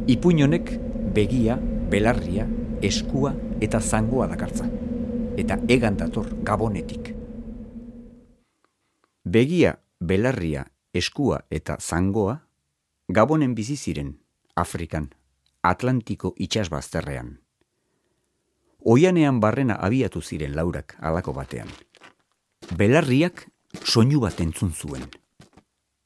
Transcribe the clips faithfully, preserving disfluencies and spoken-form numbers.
Ipuin honek begia, belarria, eskua eta zangoa dakartza. Eta egan dator Gabonetik. Begia, belarria, eskua eta zangoa Gabonen bizi ziren, Afrikan, Atlantiko itsasbazterrean. Oianean barrena abiatu ziren laurak halako batean. Belarriak soinu bat entzun zuen.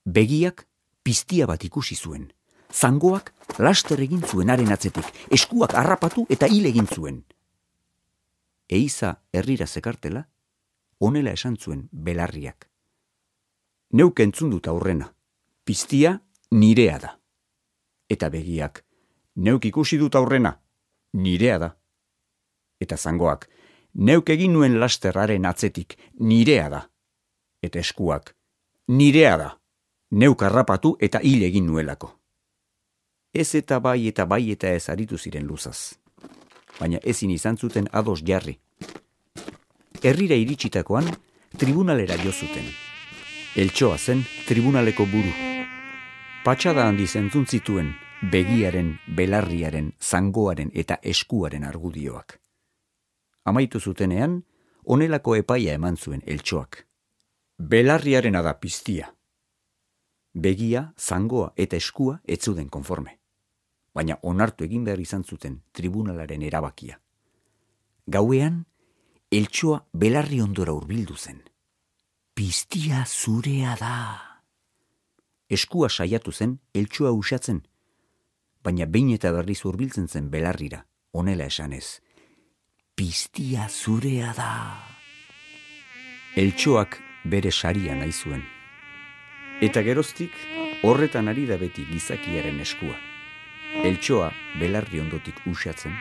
Begiak piztia bat ikusi zuen. Zangoak laster egin zuen haren atzetik, eskuak harrapatu eta hil egin zuen. Eiza herrira zekartela, honela esan zuen belarriak. Neuk entzun dut aurrena, piztia nirea da. Eta begiak, neuk ikusi dut aurrena, nirea da. Eta zangoak, neuk egin nuen lasterraren atzetik, nirea da. Eta eskuak, nirea da, neuk harrapatu eta hil egin nuelako. Ez eta bai eta bai eta ez aritu ziren luzaz. Baina ezin izan zuten ados jarri. Herrira iritsitakoan, tribunalera jo zuten. Eltxoa zen tribunaleko buru. Patxada handiz entzun zituen begiaren, belarriaren, zangoaren eta eskuaren argudioak. Amaitu zutenean, honelako epaia eman zuen eltxoak. Belarriarena da piztia. Begia, zangoa eta eskua ez zuden konforme. Baina onartu egin behar izan zuten tribunalaren erabakia. Gauean, eltxoa belarri ondora hurbildu zen. Piztia zurea da. Eskua saiatu zen eltxoa usatzen, baina behin eta berriz hurbiltzen zen belarrira, honela esanez. Piztia zurea da. Eltxoak bere saria nahi zuen. Eta geroztik, horretan ari da beti gizakiaren eskua. Eltxoa belarri ondotik usatzen,